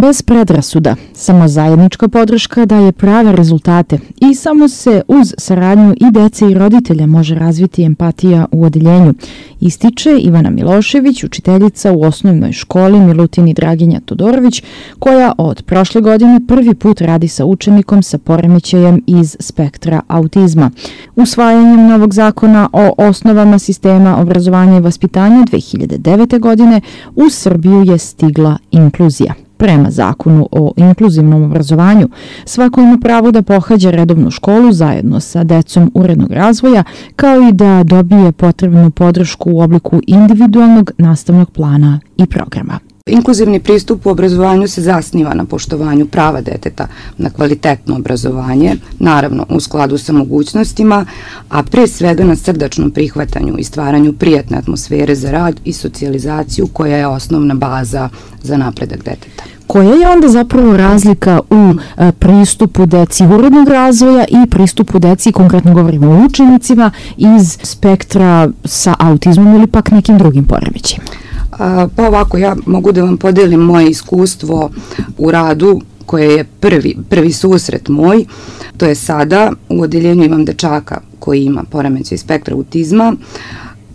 Bez predrasuda, samo zajednička podrška daje prave rezultate i samo se uz saradnju i dece i roditelja može razviti empatija u odeljenju, ističe Ivana Milošević, učiteljica u osnovnoj školi Milutin i Draginja Todorović, koja od prošle godine prvi put radi sa učenikom sa poremećajem iz spektra autizma. Usvajanjem novog zakona o osnovama sistema obrazovanja i vaspitanja 2009. godine u Srbiju je stigla inkluzija. Prema zakonu o inkluzivnom obrazovanju, svako ima pravo da pohađa redovnu školu zajedno sa decom urednog razvoja, kao i da dobije potrebnu podršku u obliku individualnog nastavnog plana i programa. Inkluzivni pristup u obrazovanju se zasniva na poštovanju prava deteta na kvalitetno obrazovanje, naravno u skladu sa mogućnostima, a pre svega na srdačnom prihvatanju i stvaranju prijatne atmosfere za rad i socijalizaciju koja je osnovna baza za napredak deteta. Koja je onda zapravo razlika u pristupu deci urednog razvoja i pristupu deci, konkretno govorimo o učenicima, iz spektra sa autizmom ili pak nekim drugim poremećajima? Pa ovako, ja mogu da vam podelim moje iskustvo u radu koje je prvi susret moj. To je sada, u odeljenju imam dečaka koji ima poremećaj spektra autizma.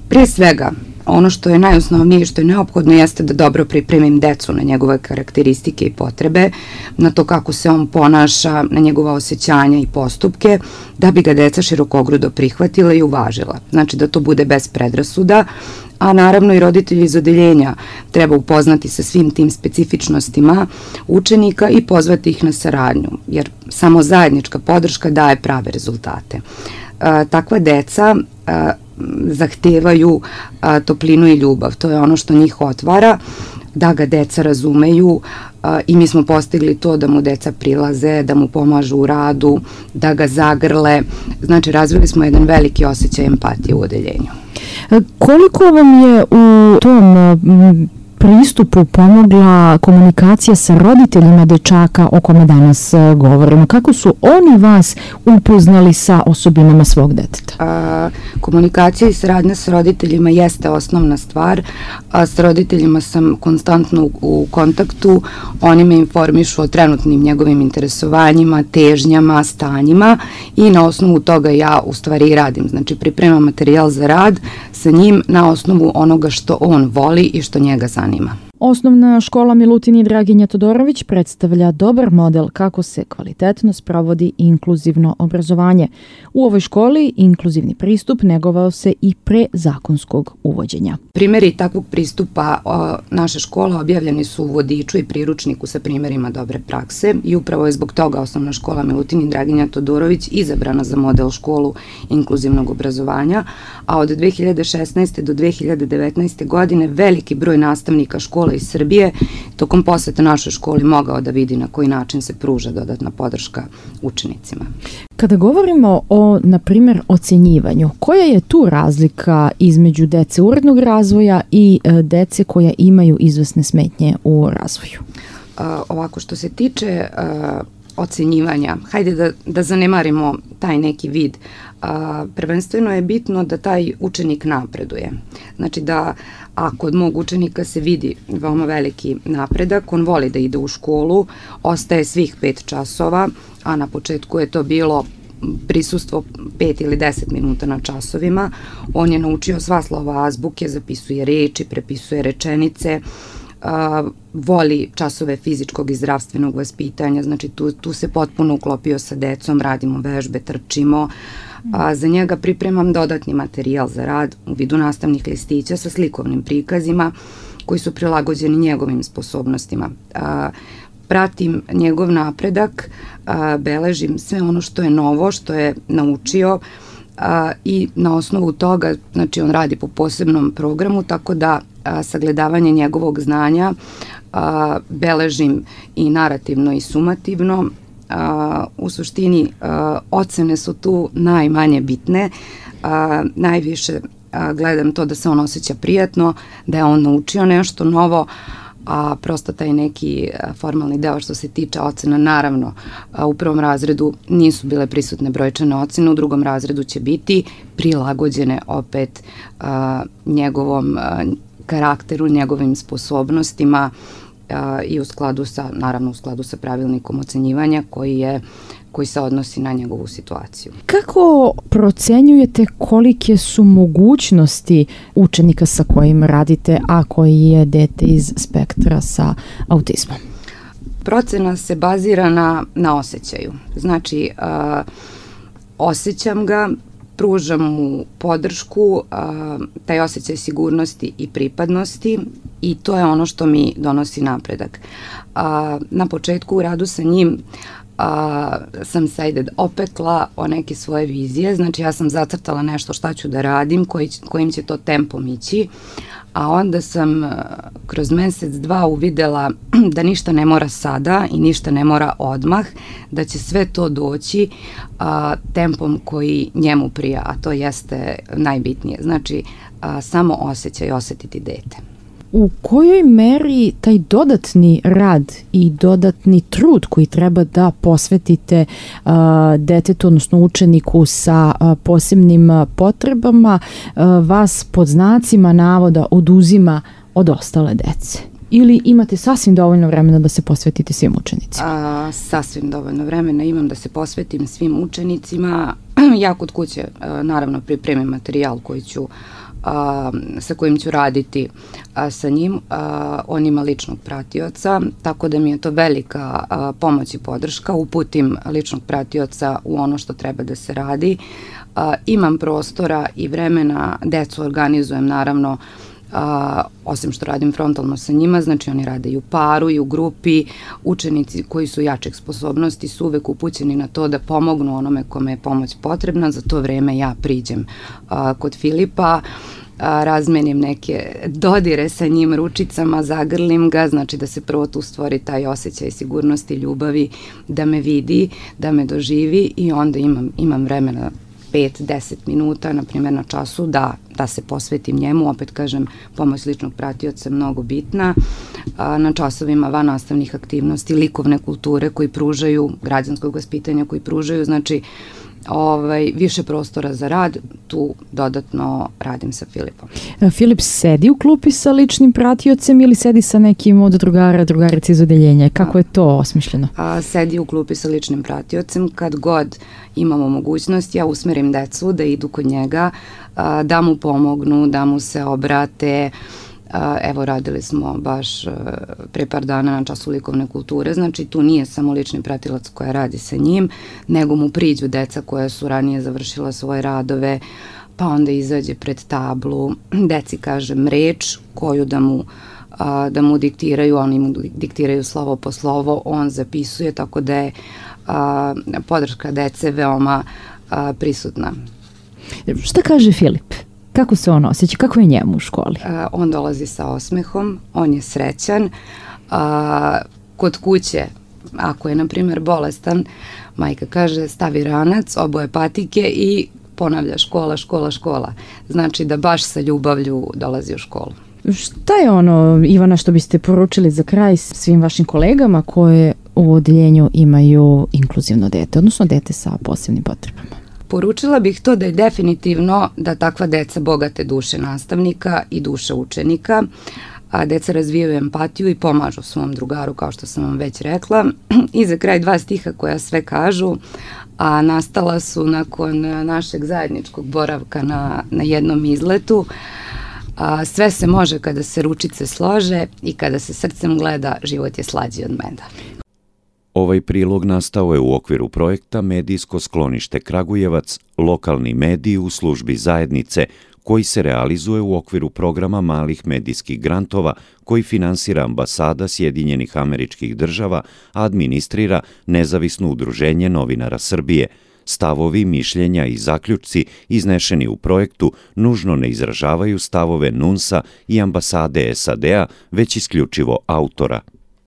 Pre svega, ono što je najosnovnije i što je neophodno jeste da dobro pripremim decu na njegove karakteristike i potrebe, na to kako se on ponaša, na njegova osjećanja i postupke, da bi ga deca širokogrudo prihvatila i uvažila. Znači da to bude bez predrasuda, a naravno i roditelji iz odeljenja treba upoznati sa svim tim specifičnostima učenika i pozvati ih na saradnju, jer samo zajednička podrška daje prave rezultate. Takva deca zahtevaju toplinu i ljubav. To je ono što njih otvara, da ga deca razumeju i mi smo postigli to da mu deca prilaze, da mu pomažu u radu, da ga zagrle. Znači, razvili smo jedan veliki osjećaj empatije u odeljenju. Koliko vam je u tom pristupu pomogla komunikacija sa roditeljima dečaka o kome danas govorimo? Kako su oni vas upoznali sa osobinama svog deteta? Komunikacija i saradnja sa roditeljima jeste osnovna stvar. Sa roditeljima sam konstantno u kontaktu. Oni me informišu o trenutnim njegovim interesovanjima, težnjama, stanjima i na osnovu toga ja u stvari i radim. Znači, pripremam materijal za rad sa njim na osnovu onoga što on voli i što njega zanima. Osnovna škola Milutin i Draginja Todorović predstavlja dobar model kako se kvalitetno sprovodi inkluzivno obrazovanje. U ovoj školi inkluzivni pristup negovao se i pre zakonskog uvođenja. Primeri takvog pristupa naše škola objavljeni su u vodiču i priručniku sa primerima dobre prakse i upravo je zbog toga osnovna škola Milutin i Draginja Todorović izabrana za model školu inkluzivnog obrazovanja, a od 2016. do 2019. godine veliki broj nastavnika škola iz Srbije tokom posete našoj školi mogao da vidi na koji način se pruža dodatna podrška učenicima. Kada govorimo o, na primjer, ocenjivanju, koja je tu razlika između dece urednog razvoja i dece koja imaju izvesne smetnje u razvoju? Ovako, što se tiče ocenjivanja, hajde da zanemarimo taj neki vid. Prvenstveno je bitno da taj učenik napreduje. Znači da ako od mog učenika se vidi veoma veliki napredak, on voli da ide u školu, ostaje svih 5 časova, a na početku je to bilo prisustvo 5 ili 10 minuta na časovima. On je naučio sva slova azbuke, zapisuje reči, prepisuje rečenice, voli časove fizičkog i zdravstvenog vaspitanja, znači tu se potpuno uklopio sa decom, radimo vežbe, trčimo. Za njega pripremam dodatni materijal za rad u vidu nastavnih listića sa slikovnim prikazima koji su prilagođeni njegovim sposobnostima. Pratim njegov napredak, beležim sve ono što je novo, što je naučio i na osnovu toga, znači on radi po posebnom programu, tako da sagledavanje njegovog znanja beležim i narativno i sumativno. U suštini ocene su tu najmanje bitne, najviše gledam to da se on osjeća prijatno, da je on naučio nešto novo, a prosto taj neki formalni deo što se tiče ocena, naravno u prvom razredu nisu bile prisutne brojčane ocene, u drugom razredu će biti prilagođene opet njegovom karakteru, njegovim sposobnostima i naravno u skladu sa pravilnikom ocenjivanja koji se odnosi na njegovu situaciju. Kako procenjujete kolike su mogućnosti učenika sa kojim radite, a koji je dete iz spektra sa autizmom? Procena se bazira na osjećaju. Znači, osjećam ga, pružam mu podršku, taj osjećaj sigurnosti i pripadnosti i to je ono što mi donosi napredak. Na početku u radu sa njim sam se opekla o neke svoje vizije, znači ja sam zacrtala nešto šta ću da radim, kojim će to tempom ići, a onda sam kroz mesec, dva uvidela da ništa ne mora sada i ništa ne mora odmah, da će sve to doći tempom koji njemu prija, a to jeste najbitnije. Znači, samo osetiti dete. U kojoj meri taj dodatni rad i dodatni trud koji treba da posvetite detetu, odnosno učeniku sa posebnim potrebama, vas pod znacima navoda oduzima od ostale dece? Ili imate sasvim dovoljno vremena da se posvetite svim učenicima? Sasvim dovoljno vremena imam da se posvetim svim učenicima. Ja kod kuće naravno pripremim materijal sa kojim ću raditi sa njim. On ima ličnog pratioca, tako da mi je to velika pomoć i podrška. Uputim ličnog pratioca u ono što treba da se radi. Imam prostora i vremena, decu organizujem naravno, osim što radim frontalno sa njima, znači oni rade i u paru i u grupi. Učenici koji su jačih sposobnosti su uvek upućeni na to da pomognu onome kome je pomoć potrebna. Za to vreme ja priđem kod Filipa, razmenim neke dodire sa njim ručicama, zagrlim ga, znači da se prvo tu stvori taj osjećaj sigurnosti, ljubavi, da me vidi, da me doživi i onda imam vremena 5-10 minuta, na primjer na času, da se posvetim njemu. Opet kažem, pomoć ličnog pratioca je mnogo bitna. Na časovima van nastavnih aktivnosti, likovne kulture koji pružaju, građanskog vaspitanja koji pružaju, znači više prostora za rad, tu dodatno radim sa Filipom. Filip sedi u klupi sa ličnim pratiocem ili sedi sa nekim od drugarica iz odeljenja? Kako je to osmišljeno? Sedi u klupi sa ličnim pratiocem. Kad god imamo mogućnost, ja usmerim decu da idu kod njega, da mu pomognu, da mu se obrate. Evo, radili smo baš pre par dana na času likovne kulture, znači tu nije samo lični pratilac koja radi sa njim, nego mu priđu deca koja su ranije završila svoje radove, pa onda izađe pred tablu, deci kažem reč koju da mu diktiraju, oni mu diktiraju slovo po slovo, on zapisuje, tako da je podrška dece veoma prisutna. Šta kaže Filip? Kako se on osjeća? Kako je njemu u školi? On dolazi sa osmehom, on je srećan. Kod kuće, ako je, na primjer, bolestan, majka kaže stavi ranac, oboje patike i ponavlja škola, škola, škola. Znači da baš sa ljubavlju dolazi u školu. Šta je ono, Ivana, što biste poručili za kraj svim vašim kolegama koje u odeljenju imaju inkluzivno dete, odnosno dete sa posebnim potrebama? Poručila bih to da je definitivno da takva deca bogate duše nastavnika i duše učenika, a deca razvijaju empatiju i pomažu svom drugaru, kao što sam vam već rekla. I za kraj 2 stiha koja sve kažu, a nastala su nakon našeg zajedničkog boravka na jednom izletu. Sve se može kada se ručice slože i kada se srcem gleda, život je slađi od meda. Ovaj prilog nastao je u okviru projekta Medijsko sklonište Kragujevac, lokalni mediji u službi zajednice, koji se realizuje u okviru programa malih medijskih grantova koji finansira Ambasada Sjedinjenih Američkih Država, a administrira Nezavisno udruženje novinara Srbije. Stavovi, mišljenja i zaključci iznešeni u projektu nužno ne izražavaju stavove NUNS-a i Ambasade SAD-a, već isključivo autora.